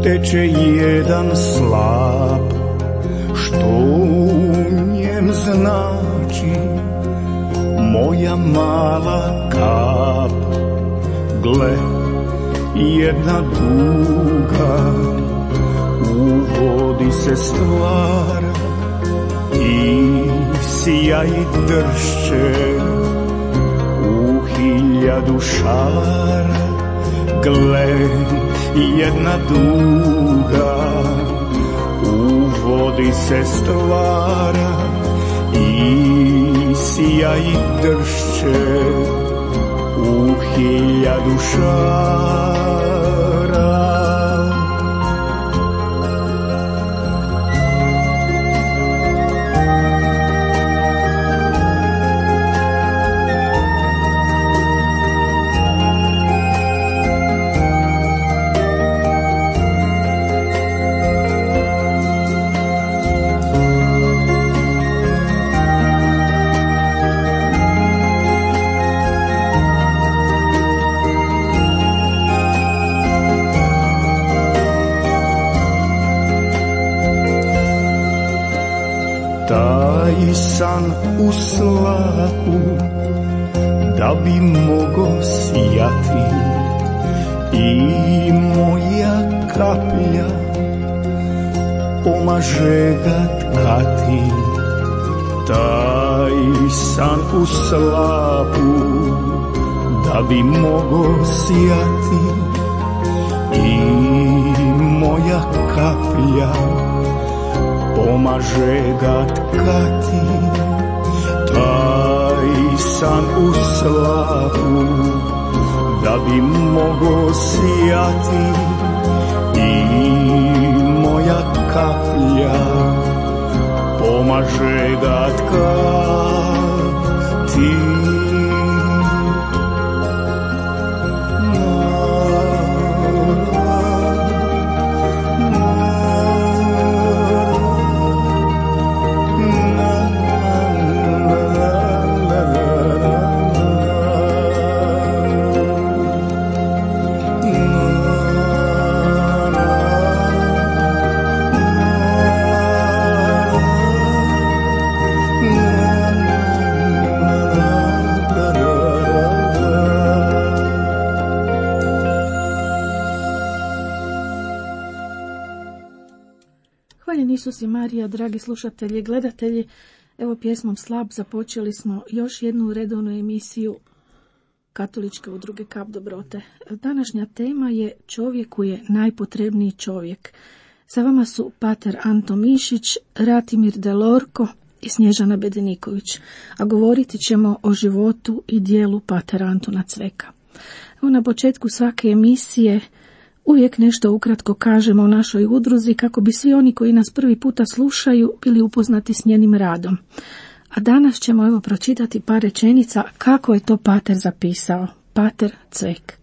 Teče jedan slap, što u njem znači moja mala kap. Gle, jedna duga u vodi se stvara i sjaj dršće u 1000 šara. Gle, jedna duga u vodi se stvara i sjaj dršće u 1000 šara. Taj san u slapu da bi mogo sijati i moja kaplja pomaže ga tkati. Taj san u slapu da bi mogo sijati i moja kaplja pomaže ga tkati. Taj san u slapu da bi mogo sijati i moja kaplja pomaže ga tkati. Isus i Marija, dragi slušatelji i gledatelji, evo pjesmom Slap započeli smo još jednu redovnu emisiju Katoličke udruge Kap dobrote. Današnja tema je Čovjeku je najpotrebniji čovjek. Sa vama su pater Anto Mišić, Ratimir Delorko i Snježana Bedeniković, a govoriti ćemo o životu i dijelu patera Antuna Cveka. Evo na početku svake emisije uvijek nešto ukratko kažemo o našoj udruzi kako bi svi oni koji nas prvi puta slušaju bili upoznati s njenim radom. A danas ćemo evo pročitati par rečenica kako je to pater zapisao, pater Cvek.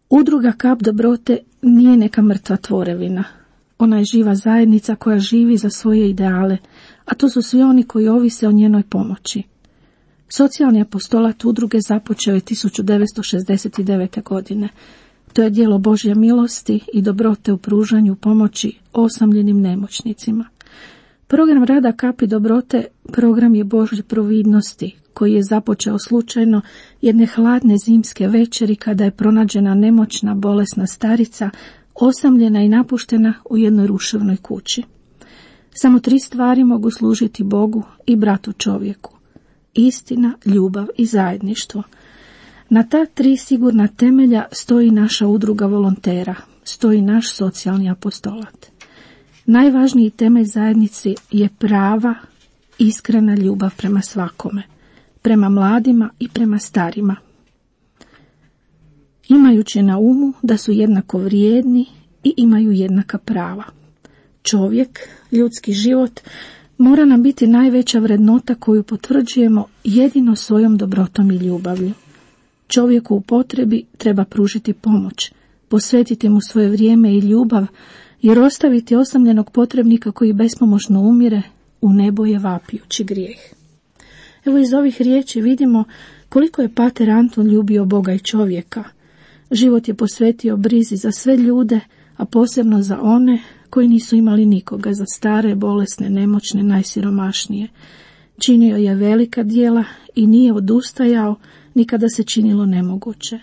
Udruga Kap dobrote nije neka mrtva tvorevina. Ona je živa zajednica koja živi za svoje ideale, a to su svi oni koji ovise o njenoj pomoći. Socijalni apostolat udruge započeo je 1969. godine. To je djelo Božje milosti i dobrote u pružanju pomoći osamljenim nemoćnicima. Program rada Kapi dobrote program je Božje providnosti koji je započeo slučajno jedne hladne zimske večeri kada je pronađena nemoćna bolesna starica osamljena i napuštena u jednoj ruševnoj kući. Samo 3 stvari mogu služiti Bogu i bratu čovjeku: istina, ljubav i zajedništvo. Na ta 3 sigurna temelja stoji naša udruga volontera, stoji naš socijalni apostolat. Najvažniji temelj zajednici je prava, iskrena ljubav prema svakome. prema mladima i prema starima. Imajući na umu da su jednako vrijedni i imaju jednaka prava. Čovjek, ljudski život, mora nam biti najveća vrednota koju potvrđujemo jedino svojom dobrotom i ljubavlju. Čovjeku u potrebi treba pružiti pomoć, posvetiti mu svoje vrijeme i ljubav, jer ostaviti osamljenog potrebnika koji bespomoćno umire u nebo je vapijući grijeh. Evo iz ovih riječi vidimo koliko je pater Anton ljubio Boga i čovjeka. Život je posvetio brizi za sve ljude, a posebno za one koji nisu imali nikoga, za stare, bolesne, nemoćne, najsiromašnije. Činio je velika djela i nije odustajao ni kada se činilo nemoguće.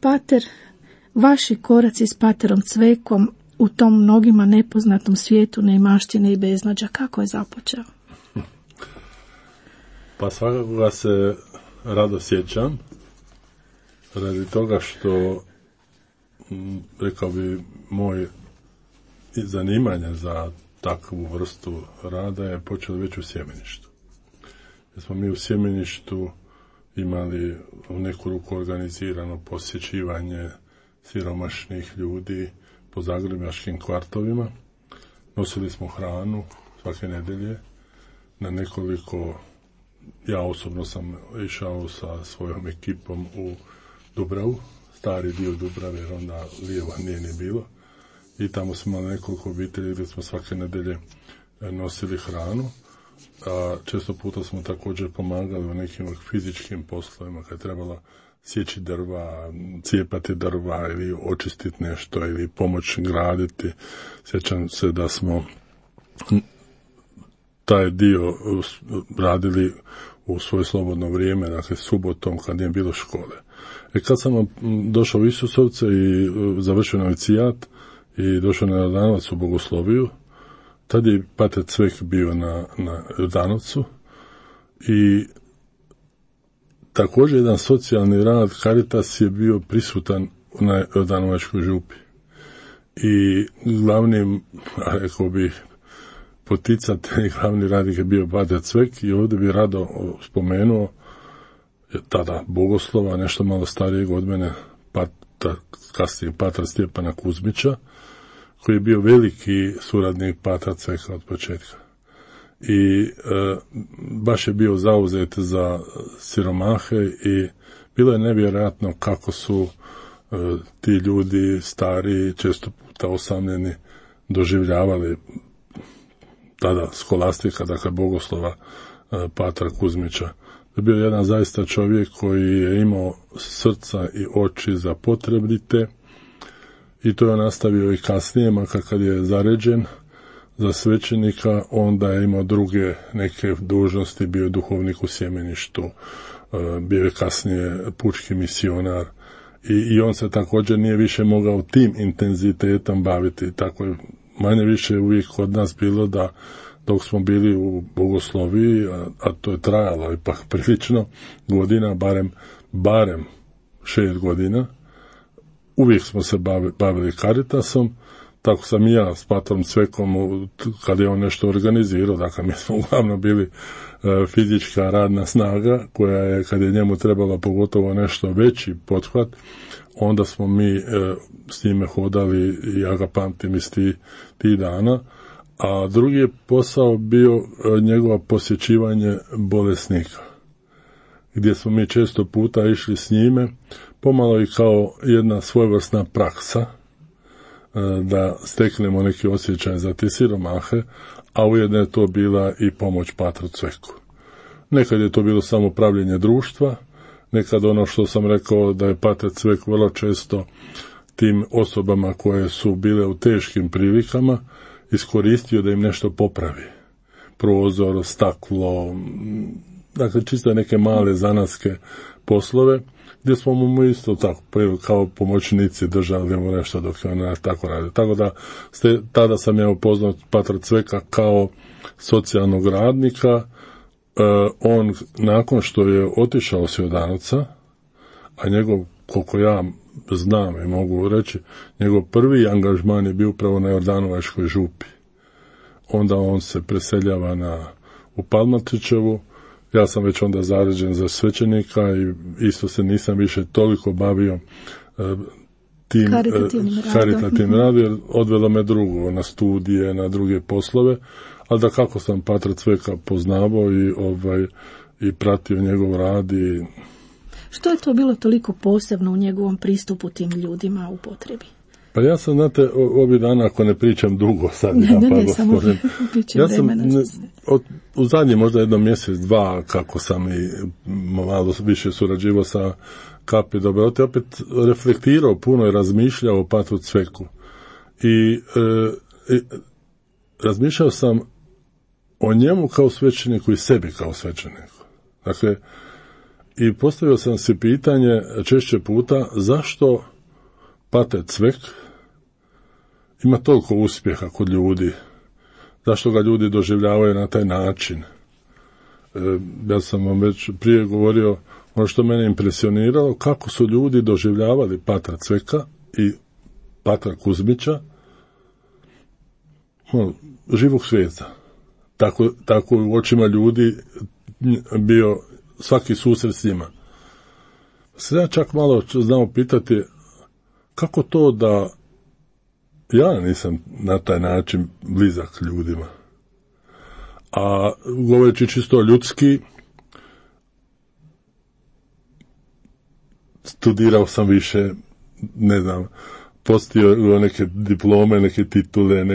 Pater, vaši koraci s paterom Cvekom u tom mnogima nepoznatom svijetu neimaštine i beznađa, kako je započeo? Pa svakako ga se rado sjećam, radi toga što, rekao bi, moj zanimanje za takvu vrstu rada je počelo već u sjemeništu. Jer smo mi u sjemeništu imali u neku ruku organizirano posjećivanje siromašnih ljudi po zagrebačkim kvartovima. Nosili smo hranu svake nedelje na nekoliko. Ja osobno sam išao sa svojom ekipom u Dubravu, stari dio Dubrave, jer onda lijeva nije ni bilo. I tamo smo imali nekoliko obitelji gdje smo svake nedelje nosili hranu. A često puta smo također pomagali u nekim fizičkim poslovima, kad je trebalo sjeći drva, cijepati drva ili očistiti nešto ili pomoć graditi. Sjećam se da smo taj dio radili u svoje slobodno vrijeme, dakle subotom kad nije bilo škole. Kad sam došao u Isusovce i završio novicijat i došao na Jordanovac u Bogosloviju, tad je pater Cvek bio na Jordanovcu i također jedan socijalni rad Caritas je bio prisutan na Jordanovačkoj župi. I glavnim, rekao bih, poticatelj, glavni radnik je bio pater Cvek i ovdje bi rado spomenuo tada bogoslova, nešto malo starijeg od mene, kasnije patra Stjepana Kuzmića, koji je bio veliki suradnik patra Cveka od početka. I baš je bio zauzet za siromahe i bilo je nevjerojatno kako su ti ljudi stari, često puta osamljeni, doživljavali tada skolastika, dakle bogoslova patra Kuzmića. To je bio jedan zaista čovjek koji je imao srca i oči za potrebite i to je nastavio i kasnije, makar kad je zaređen za svećenika, onda je imao druge neke dužnosti, bio je duhovnik u sjemeništu, bio je kasnije pučki misionar i on se također nije više mogao tim intenzitetom baviti. Tako je manje više uvijek kod nas bilo da dok smo bili u Bogosloviji, a to je trajalo ipak prilično godina, barem 6 godina, uvijek smo se bavili Caritasom. Tako sam i ja s patrom Cvekom, kad je on nešto organizirao, dakle mi smo uglavnom bili fizička radna snaga, koja je, kad je njemu trebalo pogotovo nešto veći pothvat, onda smo mi s njime hodali i ja ga pamtim iz tih dana. A drugi je posao bio njegovo posjećivanje bolesnika, gdje smo mi često puta išli s njime, pomalo i kao jedna svojevrsna praksa, da steknemo neki osjećaj za te siromahe, a ujedno je to bila i pomoć patru Cveku. Nekad je to bilo samo pravljenje društva, nekad ono što sam rekao da je pater Cvek vrlo često tim osobama koje su bile u teškim prilikama iskoristio da im nešto popravi. Prozor, staklo, dakle čisto neke male zanatske poslove, gdje smo mu isto tako kao pomoćnici držali mu nešto dok je on tako radio. Tako da tada sam ja upoznao patra Cveka kao socijalnog radnika. On nakon što je otišao s Jordanovca, a njegov, koliko ja znam i mogu reći, njegov prvi angažman je bio upravo na Jordanovačkoj župi. Onda on se preseljava u Palmatrićevu ja sam već onda zaređen za svećenika i isto se nisam više toliko bavio tim karitativnim radom, jer odvelo me drugo, na studije, na druge poslove, ali da kako sam patra Cveka poznavao i pratio njegov rad. Što je to bilo toliko posebno u njegovom pristupu tim ljudima u potrebi? Pa ja sam, znate, ovih dana, ako ne pričam dugo sad, ja sam u zadnji možda jedno mjesec, dva, kako sam i malo više surađivao sa Kapi Dobrote, opet reflektirao puno i razmišljao o patru Cveku. I razmišljao sam o njemu kao svećeniku i sebi kao svećeniku. Dakle, i postavio sam si pitanje češće puta zašto pater Cvek ima toliko uspjeha kod ljudi, zašto ga ljudi doživljavaju na taj način. Ja sam vam već prije govorio, ono što mene impresioniralo, kako su ljudi doživljavali patra Cveka i patra Kuzmića, živog svijeta. Tako u očima ljudi bio svaki susret s njima. Sad ja čak malo znao pitati kako to da ja nisam na taj način blizak ljudima. A govoreći čisto ljudski, studirao sam više, ne znam, postio neke diplome, neke titule,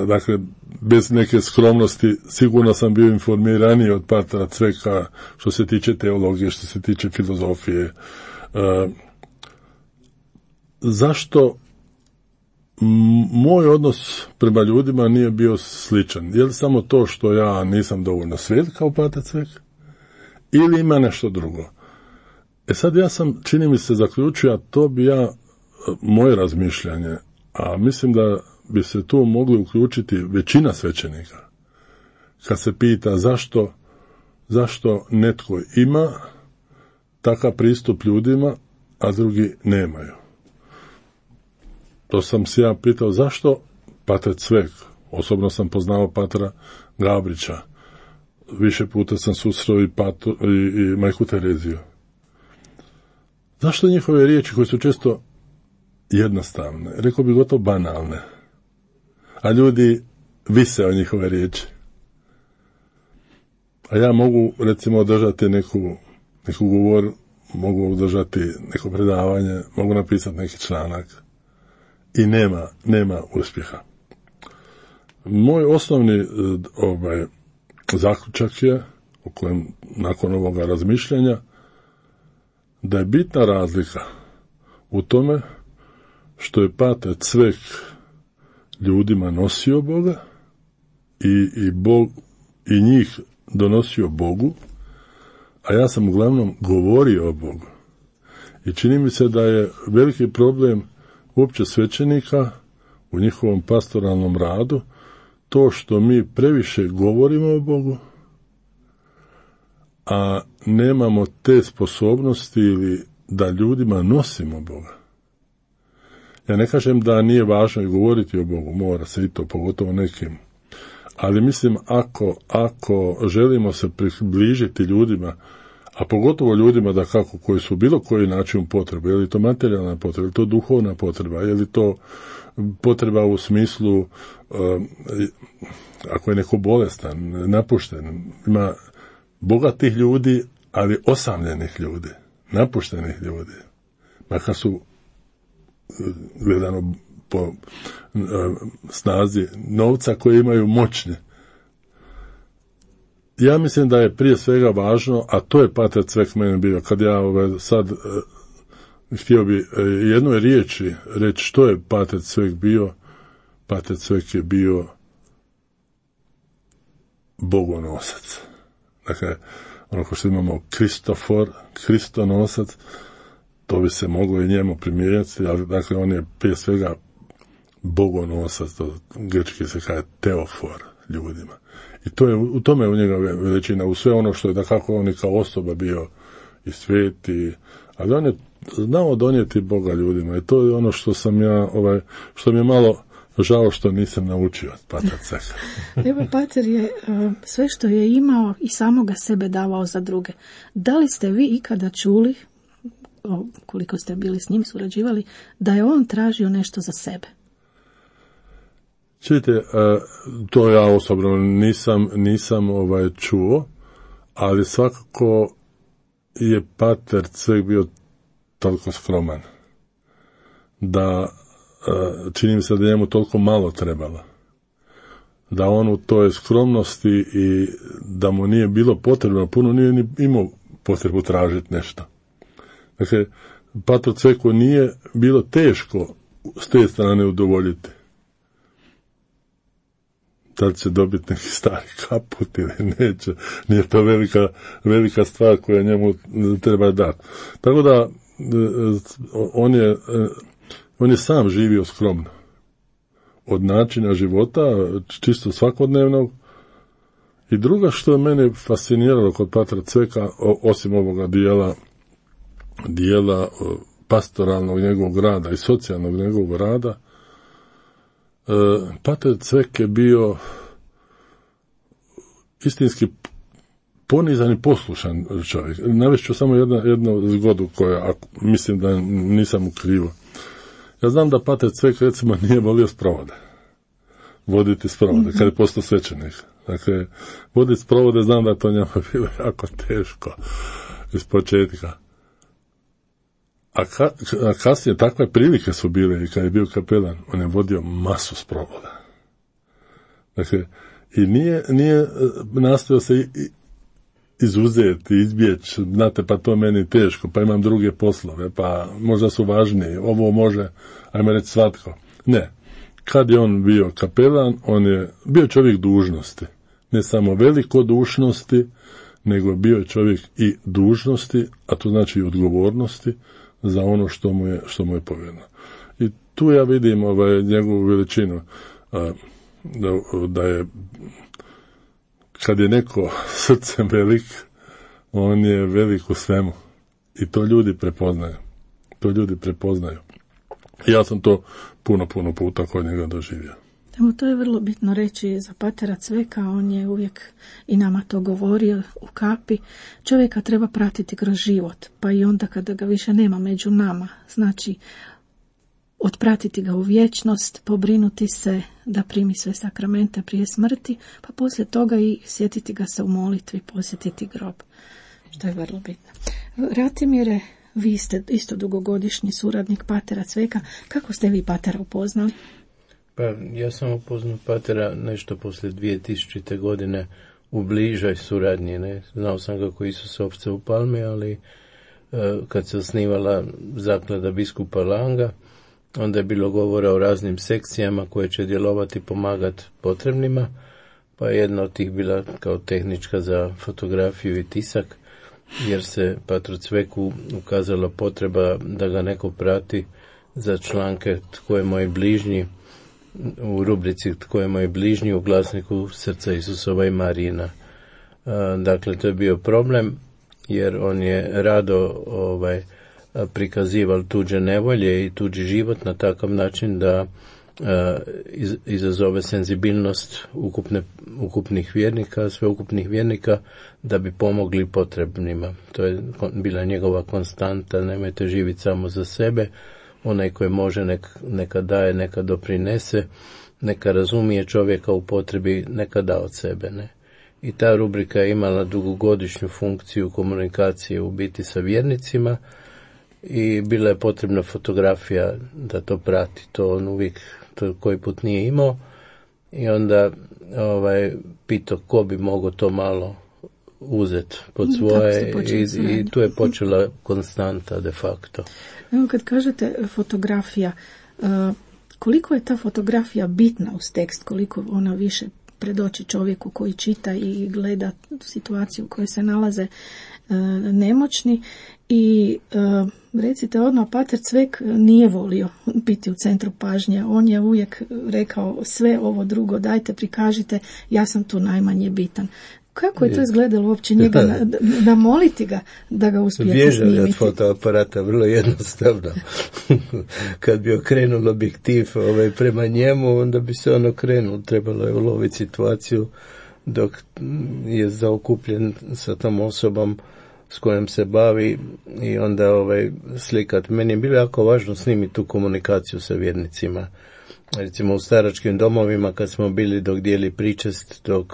dakle, bez neke skromnosti, sigurno sam bio informiraniji od patra Cveka što se tiče teologije, što se tiče filozofije. Zašto moj odnos prema ljudima nije bio sličan? Je li samo to što ja nisam dovoljno svet kao pater Cvek? Ili ima nešto drugo? Sad ja sam, čini mi se, zaključio, a to bi moje razmišljanje, a mislim da bi se tu mogli uključiti većina svećenika. Kad se pita zašto netko ima takav pristup ljudima, a drugi nemaju. To sam se ja pitao zašto pater Cvek, osobno sam poznao patra Gabrića, više puta sam susreo i majku Tereziju. Zašto njihove riječi koje su često jednostavne, rekao bi gotovo banalne, a ljudi vise o njihove riječi. A ja mogu, recimo, održati neku govor, mogu održati neko predavanje, mogu napisati neki članak i nema uspjeha. Moj osnovni zaključak je, o kojem nakon ovoga razmišljanja, da je bitna razlika u tome što je pater Cvek ljudima nosio Boga i Bog i njih donosio Bogu, a ja sam uglavnom govorio o Bogu. I čini mi se da je veliki problem uopće svećenika u njihovom pastoralnom radu to što mi previše govorimo o Bogu, a nemamo te sposobnosti ili da ljudima nosimo Boga. Ja ne kažem da nije važno i govoriti o Bogu, mora se i to, pogotovo nekim. Ali mislim, ako želimo se približiti ljudima, a pogotovo ljudima da kako koji su bilo koji način potrebe, je li to materijalna potreba, je li to duhovna potreba, je li to potreba u smislu, ako je neko bolestan, napušten, ima bogatih ljudi, ali osamljenih ljudi, napuštenih ljudi, makar su gledano po snazi novca koje imaju moćne. Ja mislim da je prije svega važno, a to je pater Cvek meni bio, kad ja sad htio bi jednoj riječi reći što je pater Cvek bio. Pater Cvek je bio bogonosac. Dakle, ono ko što imamo Kristonosac, to bi se moglo i njemu primijeniti, ali dakle on je prije svega bogonosac, to grčki se kaže teofor ljudima. I to je, u tome je u njega veličina, u sve ono što je da kako on i kao osoba bio i sveti, ali on je znao donijeti Boga ljudima i to je ono što sam ja, što mi je malo Žao što nisam naučio od Patra Cveka. Evo, pater je sve što je imao i samoga sebe davao za druge. Da li ste vi ikada čuli, koliko ste bili s njim surađivali, da je on tražio nešto za sebe? Čujte, to ja osobno nisam čuo, ali svakako je Pater Cvek bio toliko skroman da čini mi se da njemu toliko malo trebalo. Da on u toj skromnosti i da mu nije bilo potrebno, puno nije ni imao potrebu tražiti nešto. Dakle, Patru Cveku nije bilo teško s te strane udovoljiti. Da li će dobiti neki stari kaput ili neće, nije to velika stvar koja njemu treba dati. Tako da on je sam živio skromno. Od načina života, čisto svakodnevnog. I druga što je mene fasciniralo kod Patra Cveka, osim ovoga dijela pastoralnog njegovog rada i socijalnog njegovog rada, Pater Cvek je bio istinski ponizan i poslušan čovjek. Navest ću samo jednu zgodu koja, mislim da nisam u krivu. Ja znam da Pater Cvek recimo nije volio sprovode. Voditi sprovode, kad je postao svećenik. Dakle, voditi sprovode, znam da to njemu bilo jako teško iz početka. A kasnije takve prilike su bile i kad je bio kapelan, on je vodio masu sprovoda. Dakle, i nije nastojao se izuzeti, izbjeći, znate, pa to meni teško, pa imam druge poslove, pa možda su važniji, ovo može, ajme reći, svatko. Ne, kad je on bio kapelan, on je bio čovjek dužnosti, ne samo velikodušnosti, nego bio je čovjek i dužnosti, a to znači i odgovornosti za ono što mu je povjereno. I tu ja vidim njegovu veličinu, da je, kad je neko srcem velik, on je velik u svemu. I to ljudi prepoznaju. Ja sam to puno puta kod njega doživio. Evo, to je vrlo bitno reći za Patera Cveka, on je uvijek i nama to govorio u kapi. Čovjeka treba pratiti kroz život, pa i onda kada ga više nema među nama. Znači, otpratiti ga u vječnost, pobrinuti se da primi sve sakramente prije smrti, pa poslije toga i sjetiti ga se u molitvi, posjetiti grob, što je vrlo bitno. Ratimire, vi ste isto dugogodišnji suradnik Patera Cveka. Kako ste vi Patera upoznali? Pa ja sam upoznao Patera nešto poslije 2000. godine u bližoj suradnji. Ne? Znao sam ga kao Isusovca u Palmi, ali kad se osnivala zaklada biskupa Langa, onda je bilo govora o raznim sekcijama koje će djelovati i pomagati potrebnima, pa je jedna od tih bila kao tehnička za fotografiju i tisak, jer se Patru Cveku ukazala potreba da ga neko prati za članke Tko je moj bližnji, u rubrici Tko je moj bližnji u glasniku Srca Isusova i Marijina. Dakle, to je bio problem, jer on je rado prikazival tuđe nevolje i tuđi život na takav način da izazove senzibilnost ukupnih vjernika, sveukupnih vjernika, da bi pomogli potrebnima. To je bila njegova konstanta, nemojte živjeti samo za sebe, onaj koji može neka daje, neka doprinese, neka razumije čovjeka u potrebi, neka da od sebe. Ne? I ta rubrika je imala dugogodišnju funkciju komunikacije u biti sa vjernicima i bila je potrebna fotografija da to prati. To on uvijek to koji put nije imao i onda pitao ko bi mogao to malo uzeti pod svoje i tu je počela konstanta de facto. Evo, kad kažete fotografija, koliko je ta fotografija bitna uz tekst, koliko ona više predoči čovjeku koji čita i gleda situaciju u kojoj se nalaze nemoćni. I recite odmah, Pater Cvek nije volio biti u centru pažnje. On je uvijek rekao sve ovo drugo dajte, prikažite, ja sam tu najmanje bitan. Kako je to izgledalo uopće njega namoliti ga da ga uspijete snimiti? Bježali od fotoaparata, vrlo jednostavno. Kad bi okrenuo objektiv prema njemu, onda bi se on okrenuo. Trebalo je uloviti situaciju dok je zaokupljen sa tom osobom s kojom se bavi i onda slikat. Meni je bilo jako važno snimiti tu komunikaciju sa vjernicima. Recimo u staračkim domovima kad smo bili dok dijeli pričest, dok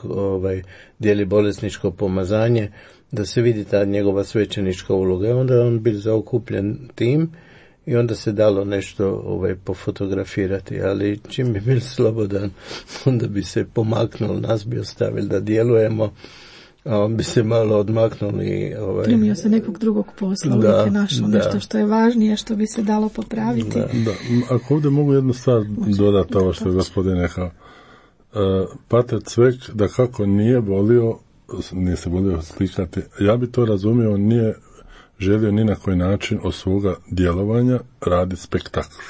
dijeli bolesničko pomazanje, da se vidi ta njegova svećenička uloga. Onda je on bil zaokupljen tim i onda se dalo nešto pofotografirati, ali čim bi bil slobodan, onda bi se pomaknul, nas bi ostavili da djelujemo, a on bi se malo odmaknuli. Primio se nekog drugog posla, uvijek je našao nešto što je važnije, što bi se dalo popraviti. Da. Ako ovdje mogu jednu stvar dodati ovo što je gospodin rekao. Pater Cvek da kako nije se volio slikati, ja bi to razumio, nije želio ni na koji način od svoga djelovanja raditi spektakl.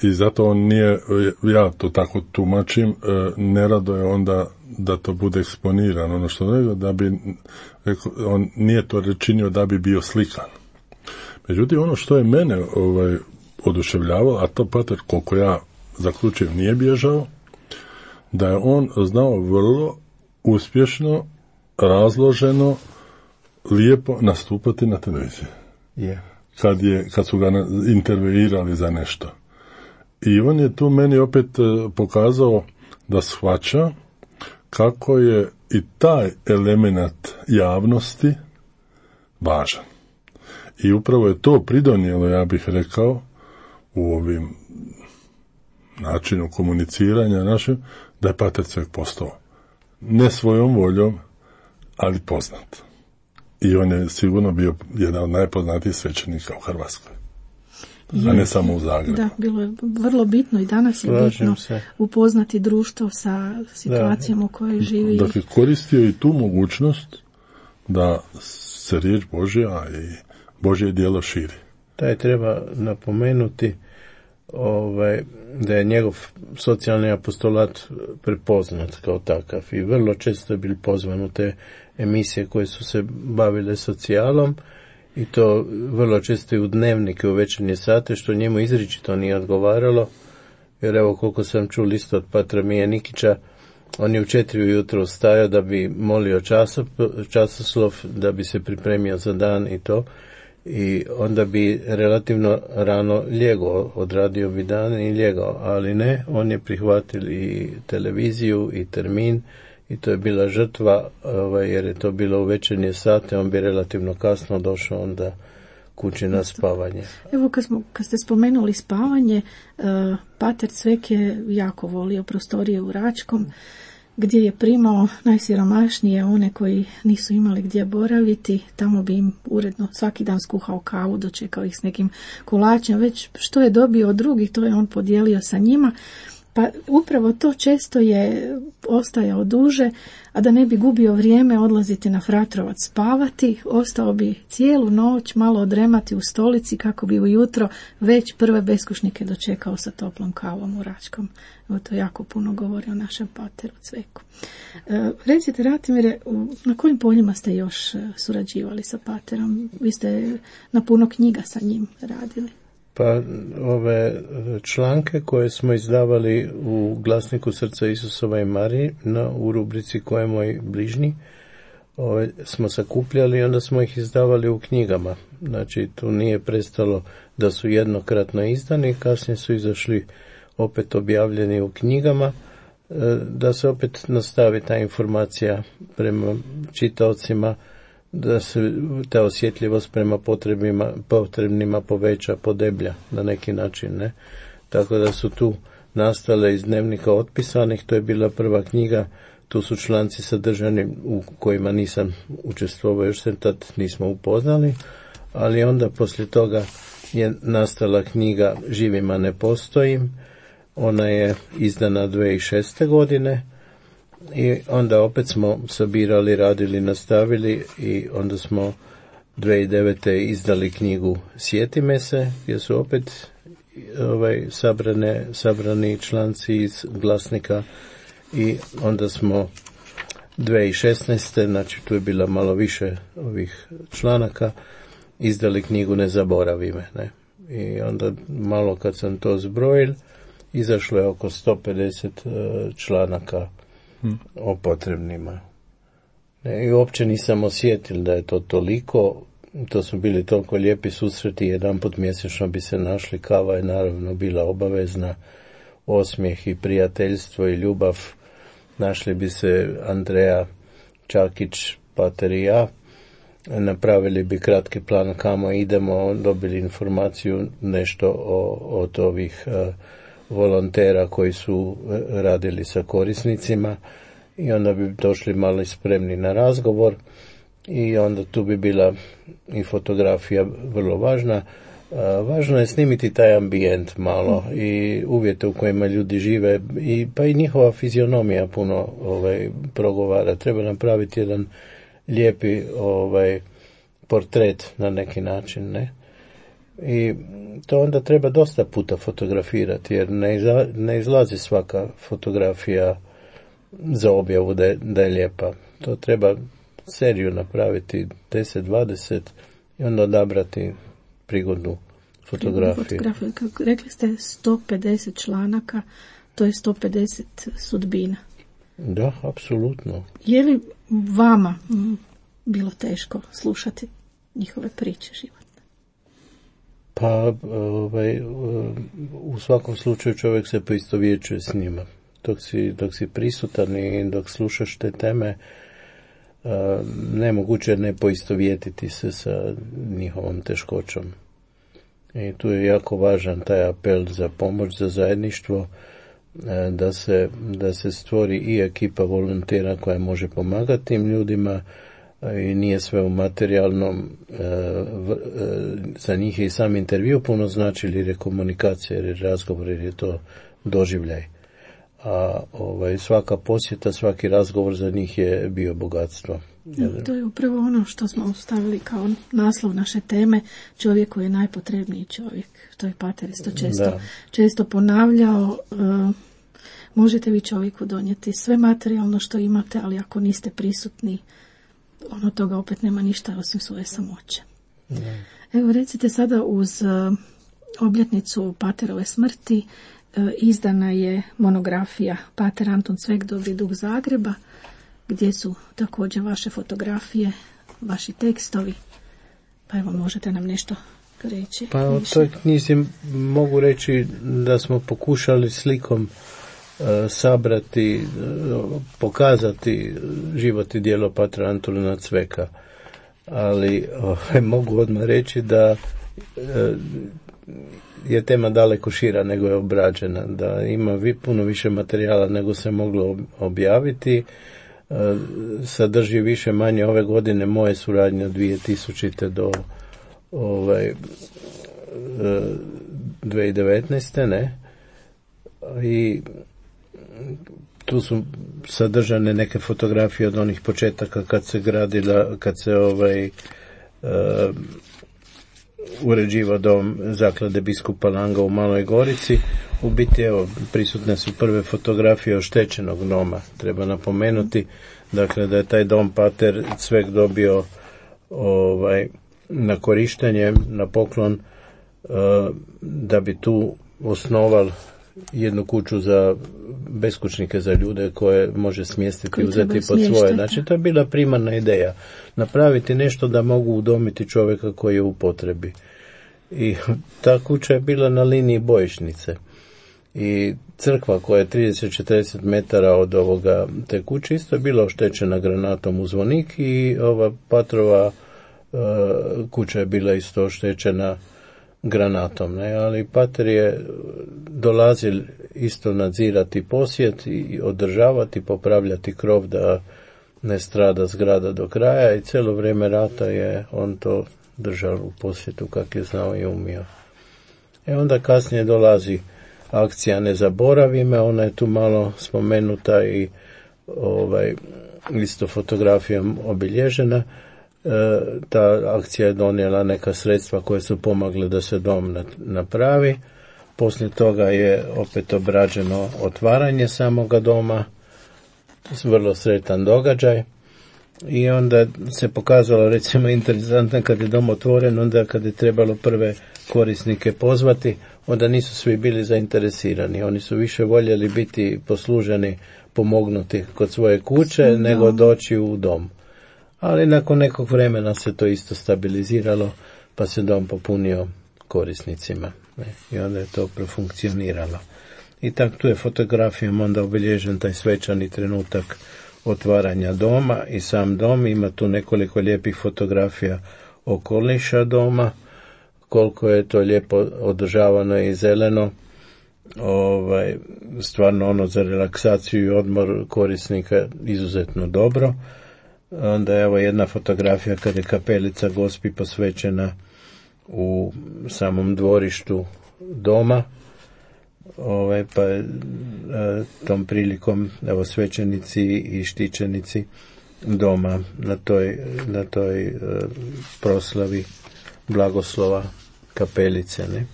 I zato on nije, ja to tako tumačim, nerado je onda da to bude eksponirano, ono što rekao, da bi, on nije to činio da bi bio slikan. Međutim, ono što je mene oduševljavalo, a to pater, koliko ja zaključujem, nije bježao, da je on znao vrlo uspješno, razloženo, lijepo nastupati na televiziji. Yeah. Kad su ga intervjuirali za nešto. I on je tu meni opet pokazao da shvaća kako je i taj element javnosti važan. I upravo je to pridonijelo, ja bih rekao, u ovim načinu komuniciranja našem, da je pater Cvek postao ne svojom voljom, ali poznat. I on je sigurno bio jedan od najpoznatijih svećenika u Hrvatskoj. A ne samo u Zagrebu. Da, bilo je vrlo bitno i danas je bitno upoznati društvo sa situacijom u kojoj živi. Dakle, koristio i tu mogućnost da se riječ Božja i Božje djelo širi. Taj treba napomenuti da je njegov socijalni apostolat prepoznat kao takav i vrlo često je bil pozvan u te emisije koje su se bavile socijalom i to vrlo često i u dnevnike, u večernje sate, što njemu izričito nije odgovaralo, jer evo koliko sam čuo isto od patra Mije Nikića, on je u 4 ujutro stajao da bi molio časoslov, da bi se pripremio za dan i to, i onda bi relativno rano ljegao, odradio bi dan i ljegao, ali ne, on je prihvatio i televiziju i termin i to je bila žrtva, jer je to bilo u večernje sate, on bi relativno kasno došao onda kući na spavanje. Evo kad ste spomenuli spavanje, pater Cvek je jako volio prostorije u Račkom, gdje je primao najsiromašnije, one koji nisu imali gdje boraviti, tamo bi im uredno svaki dan skuhao kavu, dočekao ih s nekim kolačem, već što je dobio od drugih, to je on podijelio sa njima. Pa upravo to često je ostajao duže, a da ne bi gubio vrijeme odlaziti na Fratrovac spavati, ostao bi cijelu noć malo odremati u stolici kako bi ujutro već prve beskućnike dočekao sa toplom kavom u Račkom. Evo to jako puno govori o našem pateru Cveku. Recite, Ratimire, na kojim poljima ste još surađivali sa paterom? Vi ste na puno knjiga sa njim radili. Pa ove članke koje smo izdavali u Glasniku Srca Isusova i Marije u rubrici Ko je moj bližnji, smo sakupljali i onda smo ih izdavali u knjigama. Znači tu nije prestalo da su jednokratno izdani, kasnije su izašli opet objavljeni u knjigama, da se opet nastavi ta informacija prema čitaocima, da se ta osjetljivost prema potrebnima poveća, podeblja na neki način, ne? Tako da su tu nastale iz dnevnika otpisanih, to je bila prva knjiga, tu su članci sadržani u kojima nisam učestvovao, još se tad nismo upoznali, ali onda poslije toga je nastala knjiga Živima ne postojim, ona je izdana 2006. godine, i onda opet smo sabirali, radili, nastavili i onda smo 2009. izdali knjigu Sjeti me se, gdje su opet sabrani članci iz Glasnika i onda smo 2016. znači tu je bila malo više ovih članaka, izdali knjigu Ne zaboravi me, ne? I onda malo kad sam to zbrojil, izašlo je oko 150 članaka o potrebnima. I uopće nisam osjetil da je to toliko, to su bili toliko lijepi susreti, jedanput mjesečno bi se našli, kava je naravno bila obavezna, osmijeh i prijateljstvo i ljubav, našli bi se Andreja Čakić, pater i ja, napravili bi kratki plan kamo idemo, dobili informaciju nešto od ovih volontera koji su radili sa korisnicima i onda bi došli malo spremni na razgovor i onda tu bi bila i fotografija vrlo važna. Važno je snimiti taj ambijent malo i uvjete u kojima ljudi žive pa i njihova fizionomija puno progovara. Treba napraviti jedan lijepi portret na neki način, ne? I to onda treba dosta puta fotografirati jer ne izlazi svaka fotografija za objavu da je lijepa. To treba seriju napraviti 10-20 i onda odabrati prigodnu fotografiju. Rekli ste 150 članaka, to je 150 sudbina. Da, apsolutno. Je li vama bilo teško slušati njihove priče životne? Pa, u svakom slučaju čovjek se poistovjećuje s njima. Dok si prisutan i dok slušaš te teme, nemoguće ne poistovjetiti se sa njihovom teškoćom. I tu je jako važan taj apel za pomoć, za zajedništvo, da se stvori i ekipa volontera koja može pomagati tim ljudima i nije sve u materijalnom. Za njih je i sam intervju puno znači, jer je komunikacija, jer je razgovor, jer je to doživljaj. A svaka posjeta, svaki razgovor za njih je bio bogatstvo. To je upravo ono što smo stavili kao naslov naše teme, čovjek koji je najpotrebniji čovjek. To je pater isto često ponavljao. Možete vi čovjeku donijeti sve materijalno što imate, ali ako niste prisutni, ono toga opet nema ništa osim svoje samoće. Evo recite sada uz obljetnicu paterove smrti izdana je monografija Pater Anton Cvek, Dobri duh Zagreba, gdje su također vaše fotografije, vaši tekstovi. Pa evo, možete nam nešto reći? Pa o toj knjizi mogu reći da smo pokušali slikom sabrati, pokazati život i djelo Patra Antuna Cveka. Ali mogu odmah reći da je tema daleko šira nego je obrađena, da ima puno više materijala nego se moglo objaviti. Sadrži više manje ove godine moje suradnje od 2000. do 2019. ne? I tu su sadržane neke fotografije od onih početaka kad se gradila, kad se uređivao dom zaklade biskupa Langa u Maloj Gorici. U biti, evo, prisutne su prve fotografije oštećenog doma. Treba napomenuti, dakle, da je taj dom Pater Cvek dobio na korištenje, na poklon, da bi tu osnoval jednu kuću za beskućnike, za ljude koje može smjestiti, uzeti pod svoje. Znači, to je bila primarna ideja. Napraviti nešto da mogu udomiti čovjeka koji je u potrebi. I ta kuća je bila na liniji bojišnice. I crkva koja je 30-40 metara od te kuće isto je bila oštećena granatom u zvonik i ova Patrova kuća je bila isto oštećena granatom, ne? Ali Pater je dolazil isto nadzirati posjet i održavati, popravljati krov da ne strada zgrada do kraja i cijelo vrijeme rata je on to držao u posjetu kak je znao i umio. Onda kasnije dolazi akcija Ne zaboravi me, ona je tu malo spomenuta i isto fotografijom obilježena. Ta akcija je donijela neka sredstva koje su pomogle da se dom napravi. Poslije toga je opet obrađeno otvaranje samoga doma vrlo sretan događaj. I onda se pokazalo recimo interesantno kad je dom otvoren, onda kad je trebalo prve korisnike pozvati, onda nisu svi bili zainteresirani. Oni su više voljeli biti posluženi, pomognuti kod svoje kuće, nego doći u dom. Ali nakon nekog vremena se to isto stabiliziralo, pa se dom popunio korisnicima. I onda je to profunkcioniralo. I tako tu je fotografijom onda obilježen taj svečani trenutak otvaranja doma i sam dom. Ima tu nekoliko lijepih fotografija okoliša doma, koliko je to lijepo održavano i zeleno. Stvarno ono za relaksaciju i odmor korisnika izuzetno dobro. Onda je evo jedna fotografija kad je kapelica Gospi posvećena u samom dvorištu doma. Pa je tom prilikom evo svećenici i štićenici doma na toj proslavi blagoslova kapelice, ne?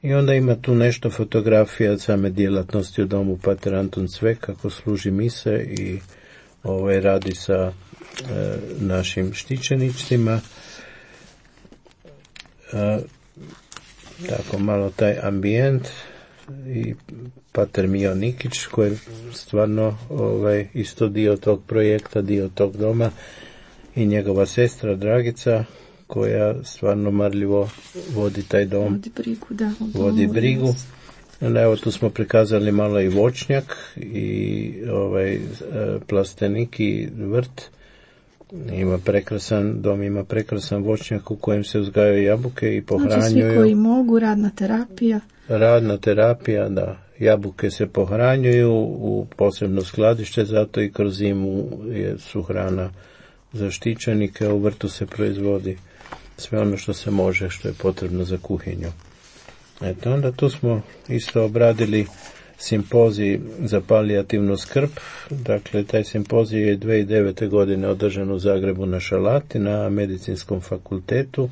I onda ima tu nešto fotografija od same djelatnosti u domu Pater Anton Cvek kako služi mise i radi sa našim štićenicima. Tako malo taj ambijent i Pater Mio Nikić koji je stvarno isto dio tog projekta, dio tog doma, i njegova sestra Dragica koja stvarno marljivo vodi taj dom. Vodi brigu. Evo tu smo prikazali malo i voćnjak i plastenik i vrt. Dom ima prekrasan voćnjak u kojem se uzgajaju jabuke i pohranjuju. Znači svi koji mogu, radna terapija, da. Jabuke se pohranjuju u posebno skladište, zato i kroz zimu su hrana za štićenike. U vrtu se proizvodi sve ono što se može, što je potrebno za kuhinju. Eto, onda tu smo isto obradili simpozij za palijativnu skrb. Dakle, taj simpozij je 2009. godine održan u Zagrebu na Šalati, na Medicinskom fakultetu,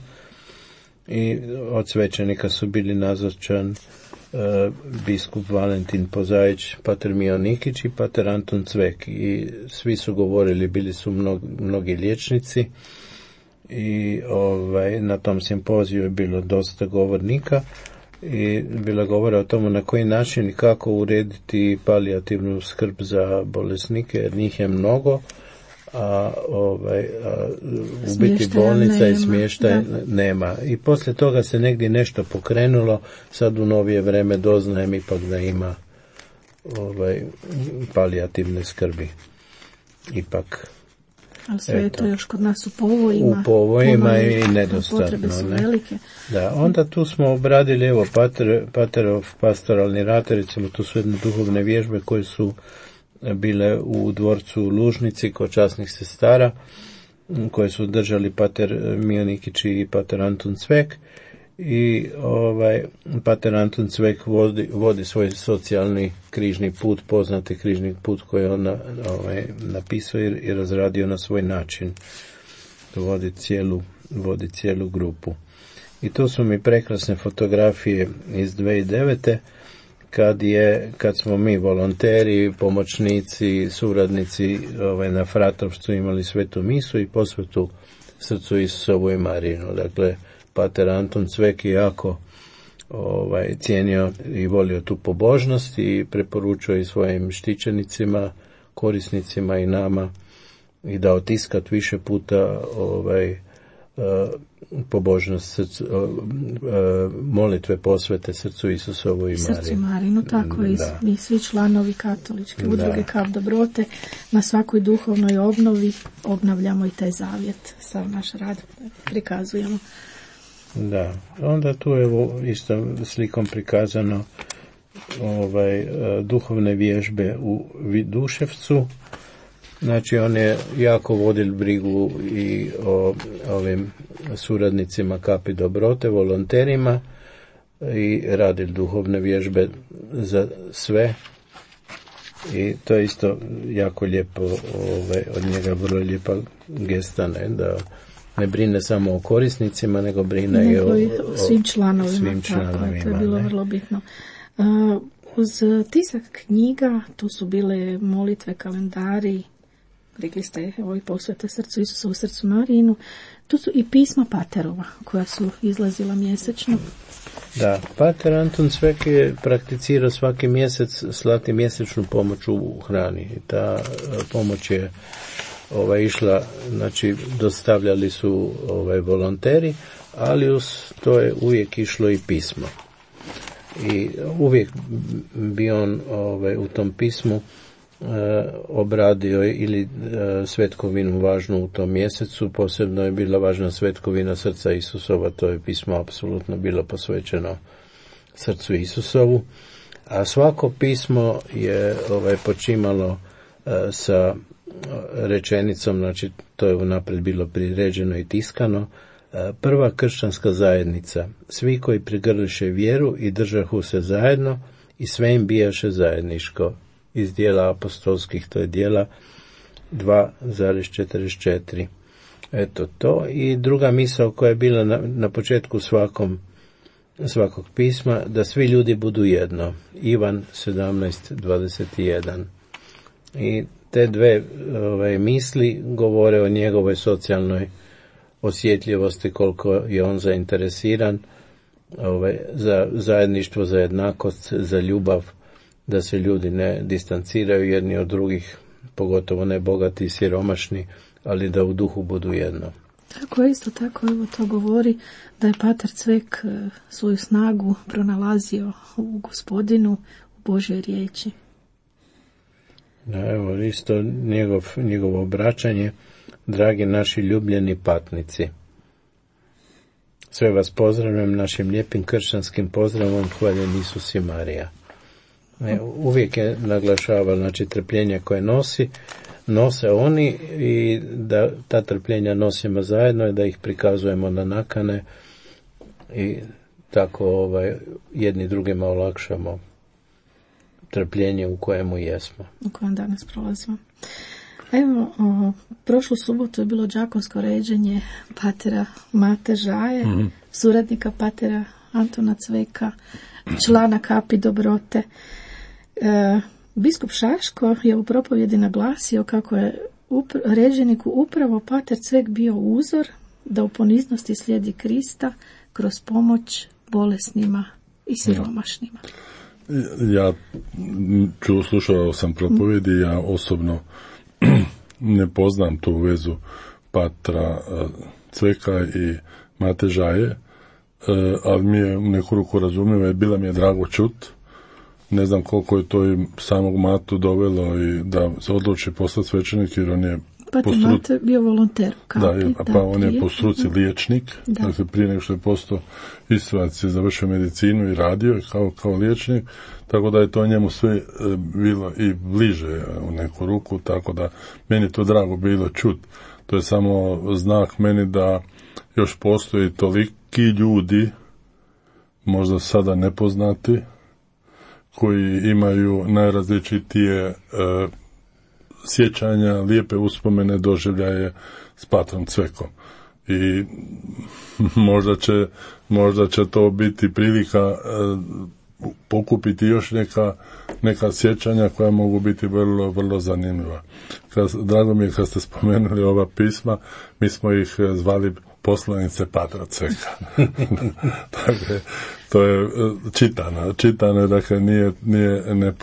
i od svećenika su bili nazočan biskup Valentin Pozajić, Pater Mio Nikić i Pater Anton Cvek. I svi su govorili, bili su mnogi liječnici, i na tom simpoziju je bilo dosta govornika i bilo govora o tomu na koji način i kako urediti palijativnu skrb za bolesnike, jer njih je mnogo, a u biti bolnica i smještaj nema. I poslije toga se negdje nešto pokrenulo, sad u novije vreme doznajem ipak da ima palijativne skrbi. Ipak. Ali sve je to još kod nas u povojima. U povojima i nedostatno. Potrebe su velike. Da, onda tu smo obradili, evo, Paterov pastoralni rad, recimo tu su jedne duhovne vježbe koje su bile u dvorcu Lužnici kod časnih sestara, koje su držali Pater Mio Nikić i Pater Anton Cvek. I Pater Anton Cvek vodi svoj socijalni križni put, poznati križni put koji on napisao i razradio na svoj način. Vodi cijelu grupu. I tu su mi prekrasne fotografije iz 2009. Kad smo mi volonteri, pomoćnici, suradnici na Fratrovcu imali svetu misu i posvetu srcu Isusovu i Marinu. Dakle, Pater Anton Cvek je jako cijenio i volio tu pobožnost i preporučio i svojim štićenicima, korisnicima i nama i da otiskat više puta pobožnost molitve posvete srcu Isusovu i Marinu. Srcu Marinu, tako i svi članovi katoličke udruge Kap dobrote na svakoj duhovnoj obnovi obnavljamo i taj zavjet, sav naš rad prikazujemo. Da, onda tu je isto slikom prikazano duhovne vježbe u Viduševcu. Znači on je jako vodil brigu i o ovim suradnicima Kapi dobrote, volonterima, i radil duhovne vježbe za sve. I to je isto jako lijepo, od njega vrlo lijepa gesta, da ne brine samo o korisnicima, nego brine i o svim članovima. Tako, to je bilo vrlo bitno. uz tisak knjiga, tu su bile molitve, kalendari, rekli ste ovi posvete srcu Isusa u srcu Marijinu, tu su i pisma paterova koja su izlazila mjesečno. Da, pater Anton Cvek je prakticirao svaki mjesec slati mjesečnu pomoć u hrani. Ta pomoć je išla, znači dostavljali su volonteri, ali uz to je uvijek išlo i pismo. I uvijek bi on u tom pismu obradio ili svetkovinu važnu u tom mjesecu. Posebno je bila važna svetkovina srca Isusova, to je pismo apsolutno bilo posvećeno srcu Isusovu, a svako pismo je počimalo sa rečenicom, znači to je unaprijed bilo priređeno i tiskano: prva kršćanska zajednica, svi koji prigrliše vjeru i držahu se zajedno i sve im bijaše zajedniško. Iz dijela apostolskih, to je dijela 2,44. Eto to. I druga misao koja je bila na početku svakog pisma, da svi ljudi budu jedno. Ivan 17:21. I te dve misli govore o njegovoj socijalnoj osjetljivosti, koliko je on zainteresiran za zajedništvo, za jednakost, za ljubav, da se ljudi ne distanciraju jedni od drugih, pogotovo ne bogati i siromašni, ali da u duhu budu jedno. Tako je, isto tako, evo to govori da je pater Cvek svoju snagu pronalazio u Gospodinu, u Božjoj riječi. Da, evo isto njegovo obraćanje: dragi naši ljubljeni patnici, sve vas pozdravljam našim lijepim kršćanskim pozdravom, hvaljen Isus i Marija. Uvijek je naglašavao, znači, trpljenje koje nose oni i da ta trpljenja nosimo zajedno i da ih prikazujemo na nakane i tako jedni drugima olakšamo trpljenje u kojemu jesmo. U kojem danas prolazimo. Evo, prošlu subotu je bilo đakonsko ređenje patera Mate Žaje, suradnika patera Antona Cveka, člana Kapi dobrote. Biskup Šaško je u propovjedi naglasio kako je ređeniku upravo pater Cvek bio uzor da u poniznosti slijedi Krista kroz pomoć bolesnima i siromašnima. Ja slušao sam propovjedi, ja osobno ne poznam tu vezu patra Cveka i Mate Žaje, ali mi je u neku ruku razumljivo i bila mi je drago čut. Ne znam koliko je to i samog Matu dovelo i da se odluči postati svećenik, jer on je Mate bio volonter u Kapi. Pa on je po struci liječnik, dakle prije nego što je postao istrac je završio medicinu i radio kao liječnik, tako da je to njemu sve bilo i bliže u neku ruku, tako da meni to drago bilo čut. To je samo znak meni da još postoji toliki ljudi, možda sada nepoznati, koji imaju najrazličitije sjećanja, lijepe uspomene, doživljaje s patrom Cvekom. I možda će to biti prilika pokupiti još neka sjećanja koja mogu biti vrlo, vrlo zanimljiva. Drago mi je kad ste spomenuli ova pisma, mi smo ih zvali poslanice patra Cveka. Dakle, to je čitano, dakle nije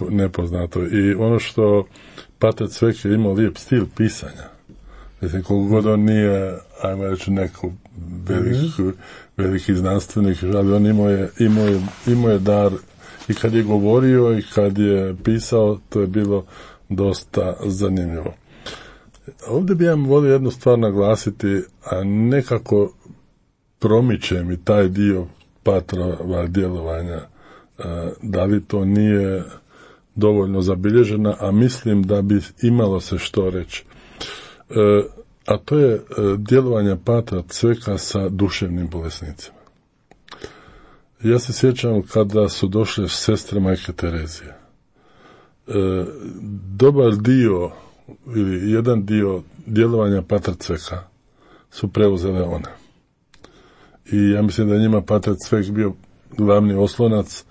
nepoznato. I ono što pater Cvek je imao lijep stil pisanja. Mislim, koliko god on nije, ajmo reći, neko veliki znanstvenik, ali on imao je dar i kad je govorio i kad je pisao, to je bilo dosta zanimljivo. Ovdje bi ja volio jednu stvar naglasiti, a nekako promiče mi taj dio patrova djelovanja, da li to nije dovoljno zabilježena, a mislim da bi imalo se što reći. A to je djelovanje patra Cveka sa duševnim bolesnicima. Ja se sjećam kada su došle sestre Majke Terezije. Dobar dio ili jedan dio djelovanja patra Cveka su preuzele one. I ja mislim da je njima patar Cvek bio glavni oslonac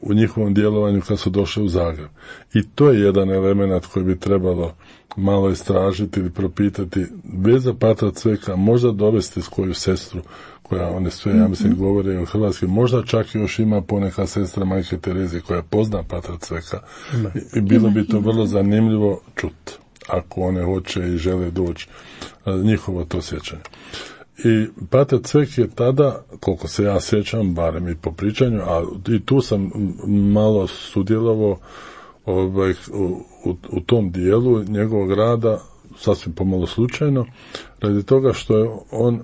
u njihovom djelovanju kad su došli u Zagreb. I to je jedan element koji bi trebalo malo istražiti ili propitati, bez Patra Cveka možda dovesti svoju sestru, koja one sve, ja mislim, govore o Hrvatskoj, možda čak još ima poneka sestra Majke Terezije koja pozna Patra Cveka. I bilo bi to vrlo zanimljivo čuti, ako one hoće i žele doći, njihovo to sjećanje. I Pater Cvek je tada, koliko se ja sjećam, barem i po pričanju, a i tu sam malo sudjelovao u tom dijelu njegovog rada, sasvim pomalo slučajno, radi toga što je on,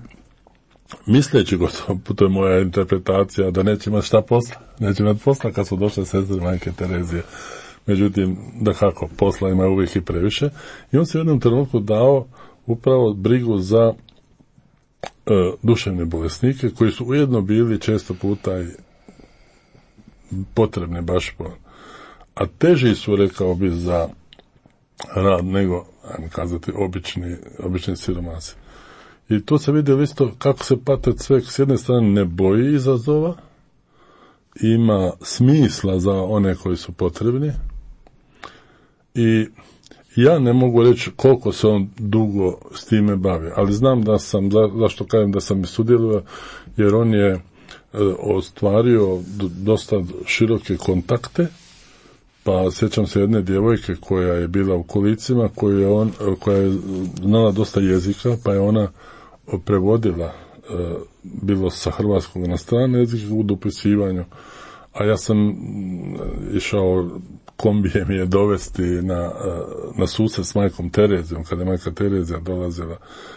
misleći gotovo, to je moja interpretacija, da neće imati šta posla, neće imati posla kad su došle sestre Majke Terezije. Međutim, da kako, posla ima uvijek i previše. I on se u jednom trenutku dao upravo brigu za duševne bolesnike, koji su ujedno bili često puta i potrebni baš a teži su, rekao bi, za rad nego, ajmo kazati, obični siromasi. I to se vidi isto kako se Pater Cvek s jedne strane ne boji izazova, ima smisla za one koji su potrebni, i ja ne mogu reći koliko se on dugo s time bavi, ali znam da sam, zašto kažem da sam i sudjelovao, jer on je ostvario dosta široke kontakte, pa sjećam se jedne djevojke koja je bila u kolicima, koja je znala dosta jezika, pa je ona prevodila bilo sa hrvatskog na strane jezike u dopisivanju, a ja sam išao kombijem je dovesti na susret s Majkom Terezijom, kada je Majka Terezija dolazila,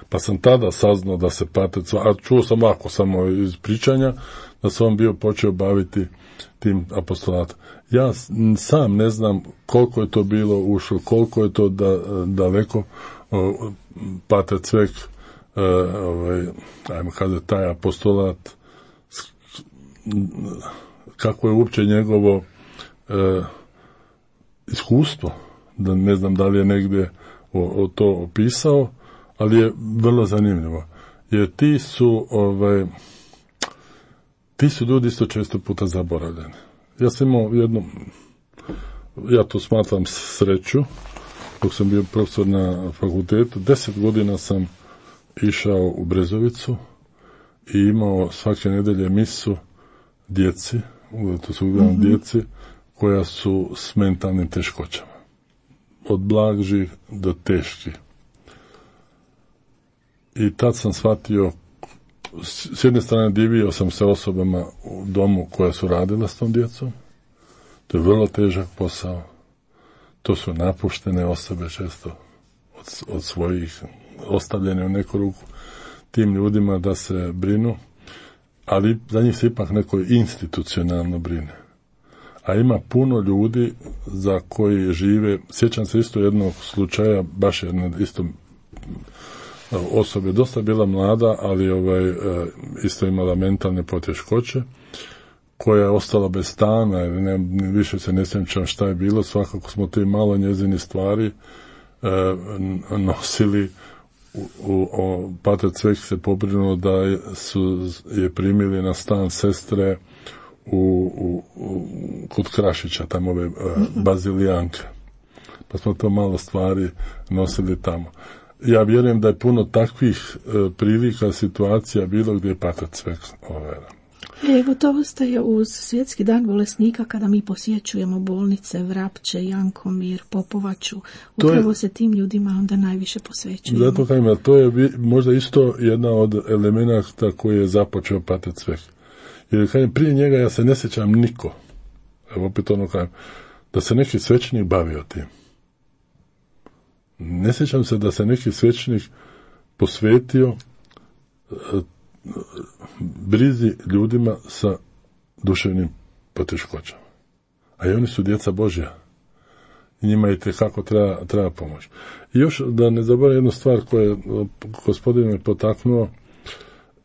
pa sam tada saznao da se Pater Cvek, a čuo sam ovako samo iz pričanja, da se on bio počeo baviti tim apostolatom. Ja sam ne znam koliko je to bilo ušlo, koliko je to daleko Pater Cvek, ajmo kazati, taj apostolat, kako je uopće njegovo iskustvo, da ne znam da li je negdje to opisao, ali je vrlo zanimljivo. Jer ti su ljudi isto često puta zaboravljeni. Ja sam imao ja to smatram sreću, dok sam bio profesor na fakultetu, 10 godina sam išao u Brezovicu i imao svake nedelje misu djeci, to su uglavnom djeci, koja su s mentalnim teškoćama. Od blažih do teških. I tad sam shvatio, s jedne strane divio sam se osobama u domu koja su radila s tom djecom. To je vrlo težak posao. To su napuštene osobe često od svojih, ostavljene u neku ruku tim ljudima da se brinu, ali za njih se ipak neko institucionalno brine. A ima puno ljudi za koji žive, sjećam se isto jednog slučaja, baš jedna isto osoba, dosta bila mlada, ali isto imala mentalne poteškoće, koja je ostala bez stana, više se ne sjećam šta je bilo, svakako smo te malo njezini stvari nosili. Pater Cvek se pobrinuo da je primili na stan sestre kod Krašića, tamo ove Bazilijanke. Pa smo to malo stvari nosili tamo. Ja vjerujem da je puno takvih prilika, situacija bilo gdje je Pater Cvek. Evo, to ostaje uz Svjetski dan bolesnika kada mi posjećujemo bolnice, Vrapče, Jankomir, Popovaču. Upravo se tim ljudima onda najviše posvećujemo. Zato kažem, to je možda isto jedna od elemenata koji je započeo Pater Cvek. Jer kažem, prije njega ja se ne sjećam niko, evo opet ono kažem, da se neki svećenik bavio tim. Ne sjećam se da se neki svećenik posvetio brizi ljudima sa duševnim poteškoćama. A i oni su djeca Božja. I njima i tekako treba pomoć. I još da ne zaboravim jednu stvar koju gospodin me potaknuo,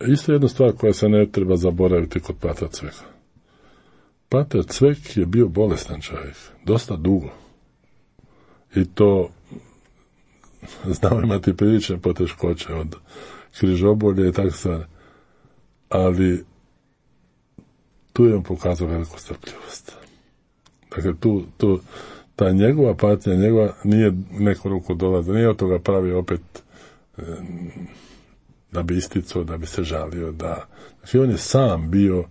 isto jedna stvar koja se ne treba zaboraviti kod Patra Cveka. Pater Cvek je bio bolestan čovjek, dosta dugo. I to znao imati prilične poteškoće od križobolje i tako stvari. Ali tu je on pokazao veliku strpljivost. Dakle, ta njegova patnja, njegova nije neko ruku dolaze, nije od toga pravi opet da bi isticao, da bi se žalio, da. Znači, on je sam bio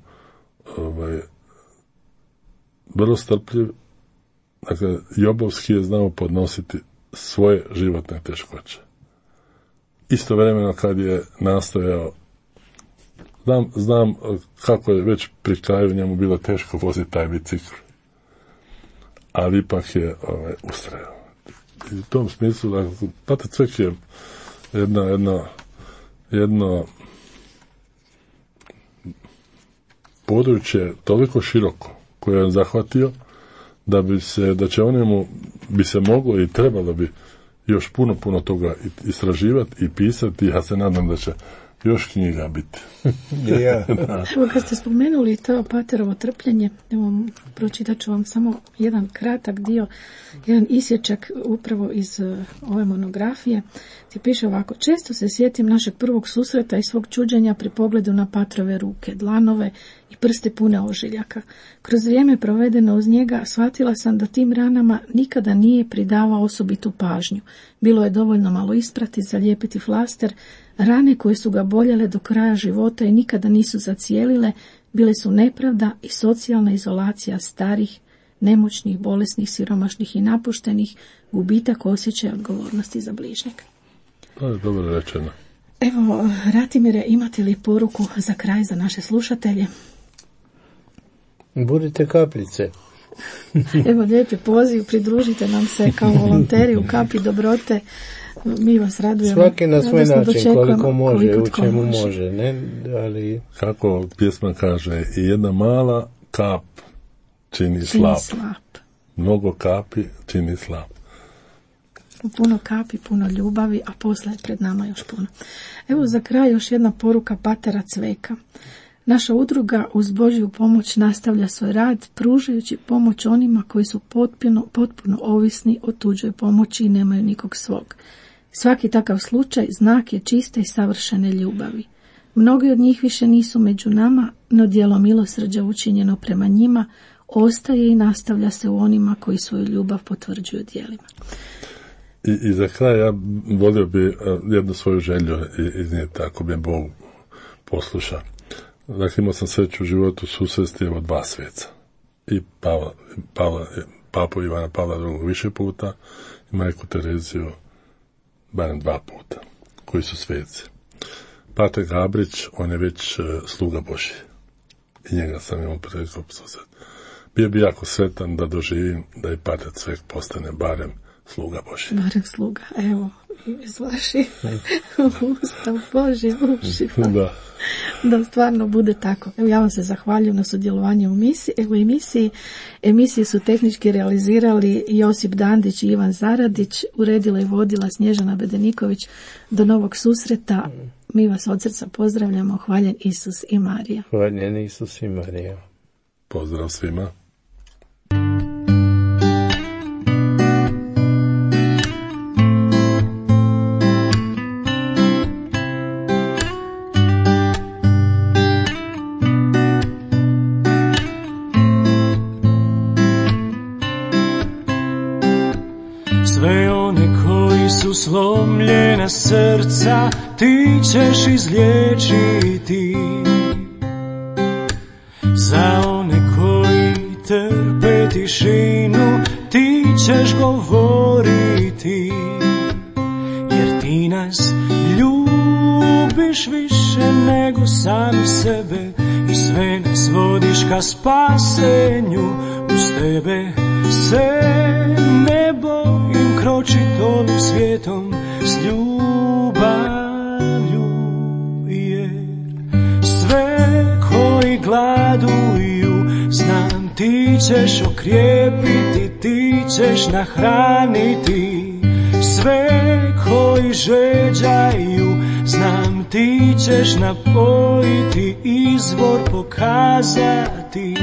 vrlo strpljiv. Dakle, Jobovski je znao podnositi svoje životne teškoće. Istovremeno kad je nastojao, znam kako je već pri kraju njemu bilo teško voziti taj bicikl, ali ipak je ustrajao. I u tom smislu, dakle, Pater Cvek je jedno područje toliko široko koje je on zahvatio da će o njemu bi se moglo i trebalo bi još puno toga istraživati i pisati. Ja se nadam da će još knjiga biti. Evo, kad ste spomenuli to paterovo trpljenje, evo, pročitat ću vam samo jedan kratak dio, jedan isječak upravo iz ove monografije, gdje piše ovako: često se sjetim našeg prvog susreta i svog čuđenja pri pogledu na patrove ruke, dlanove i prste pune ožiljaka. Kroz vrijeme provedeno uz njega shvatila sam da tim ranama nikada nije pridavao osobitu pažnju. Bilo je dovoljno malo isprati, zalijepiti flaster. Rane koje su ga boljele do kraja života i nikada nisu zacijelile, bile su nepravda i socijalna izolacija starih, nemoćnih, bolesnih, siromašnih i napuštenih, gubitak osjećaja odgovornosti za bližnjeg. To je dobro rečeno. Evo, Ratimire, imate li poruku za kraj za naše slušatelje? Budite kapljice. Evo, lijepi poziv, pridružite nam se kao volonteri u Kapi dobrote. Mi vas radujemo. Svaki na svoj način, koliko može, u čemu može, ne? Ali... Kako pjesma kaže, i jedna mala kap čini slap. Mnogo kapi čini slap. Puno kapi, puno ljubavi, a posle je pred nama još puno. Evo za kraj još jedna poruka patera Cveka. Naša udruga uz Božju pomoć nastavlja svoj rad, pružajući pomoć onima koji su potpuno ovisni o tuđoj pomoći i nemaju nikog svog. Svaki takav slučaj znak je čiste i savršene ljubavi. Mnogi od njih više nisu među nama, no djelo milosrđa učinjeno prema njima ostaje i nastavlja se u onima koji svoju ljubav potvrđuju djelima. I za kraj ja volio bi jednu svoju želju iznijeti, ako bi Bog posluša. Dakle, imao sam sreću u životu susresti evo 2 sveca. I papu Ivana Pavla II više puta i majku Tereziju barem 2 puta, koji su sveci. Pater Gabrić, on je već sluga Božji. I njega sam imao priliku susreti. Bio bi jako sretan da doživim da i Pater Cvek postane barem sluga Božji. Barem sluga, evo, iz vaših usta Božje ušiva. Da stvarno bude tako. Evo, ja vam se zahvaljujem na sudjelovanju u emisiji su tehnički realizirali Josip Dandić i Ivan Zaradić, uredila i vodila Snježana Bedeniković. Do novog susreta, mi vas od srca pozdravljamo. Hvaljen Isus i Marija. Hvaljen Isus i Marija. Pozdrav svima. Slomljena srca ti ćeš izliječiti, za one koji trpe tišinu ti ćeš govoriti, jer ti nas ljubiš više nego sami sebe i sve nas vodiš ka spasenju. Uz tebe se ne bojim kročit ovim svijetom s ljubavlju, jer sve koji gladuju znam ti ćeš okrijepiti, ti ćeš nahraniti. Sve koji žeđaju znam ti ćeš napojiti, izvor pokazati.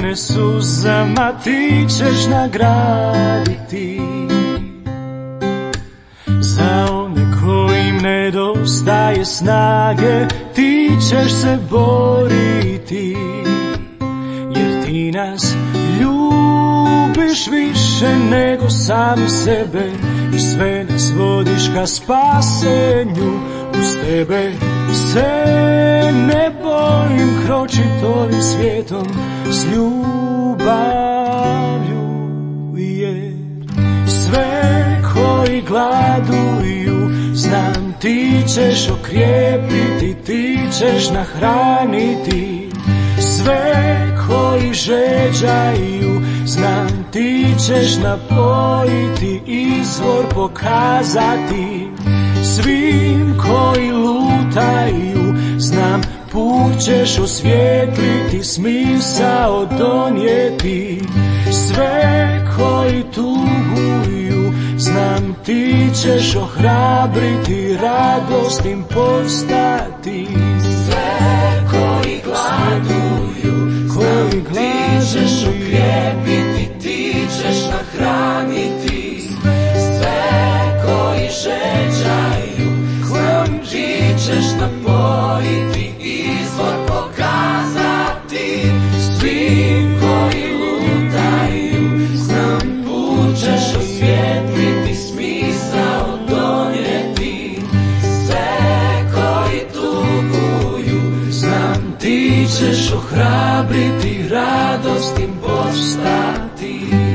mene suzama ti ćeš nagraditi. Za one kojim nedostaje snage ti ćeš se boriti, jer ti nas ljubiš više nego sami sebe i sve nas vodiš ka spasenju. Uz tebe se ne bojim kročit ovim svijetom s ljubavlju, jer sve koji gladuju znam ti ćeš okrijepiti, ti ćeš nahraniti. Sve koji žeđaju znam ti ćeš napojiti, izvor pokazati. Svim koji lutaju znam put ćeš osvijetliti, smisao donijeti. Sve koji tuguju znam ti ćeš ohrabriti, radost im postati. Sve koji gladuju znam ti ćeš okrijepiti, ti ćeš nahraniti. Sve koji žeđaju znam ti ćeš napojiti, izvor pokazati. Svim koji lutaju znam put ćeš osvijetliti, smisao donijeti. Sve koji tuguju znam ti ćeš ohrabriti, radost im postati.